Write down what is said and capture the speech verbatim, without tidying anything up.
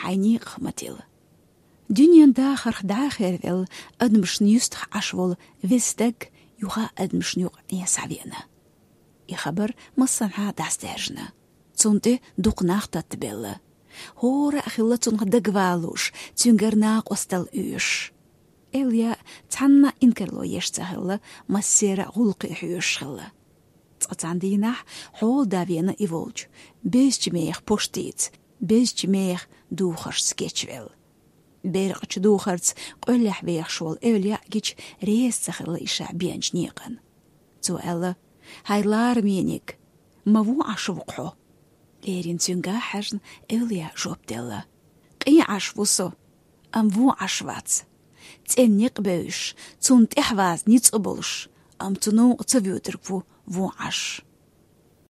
Ӏай некъах ма тилла. Дуьнен дахарх дӀа а хервелла, адамашна юьстах Ӏаш волу веза стаг юха а адамашна юкъа Ӏен схьавеана. И хабар массанхьа дӀасадаьржина. Цунна тӀе дукха нах таттабелла. ХӀора а хилла цунах дагавалуш, цуьнгара накъосталла оьшуш. Эвлаяъ цхьанна а инкарло еш ца хилла, массеран а гӀуллакхе хьоьжуш хилла. Цкъа цхьана дийнахь хьолада веана и волчу, безачу мехах пуштица, безачу мехах духаршца кечвелла. Беркъачу духарца къоьллехь вехаш волу Эвлаяъ гича реза ца хилла и ша беанчу некъана. Цо аьлла: «ХӀай ларамийниг, ма вон Ӏаш ву-кх хьо?» Леррина цуьнга хьаьжна, Эвлаяъ жоп делла: «Къен Ӏаш ву со, амма вон Ӏаш вац. ЦӀена некъ бевзаш, цунна тӀаьхьаваза ницкъ а болуш, амма цу новкъа ца воьдург ву вон Ӏаш».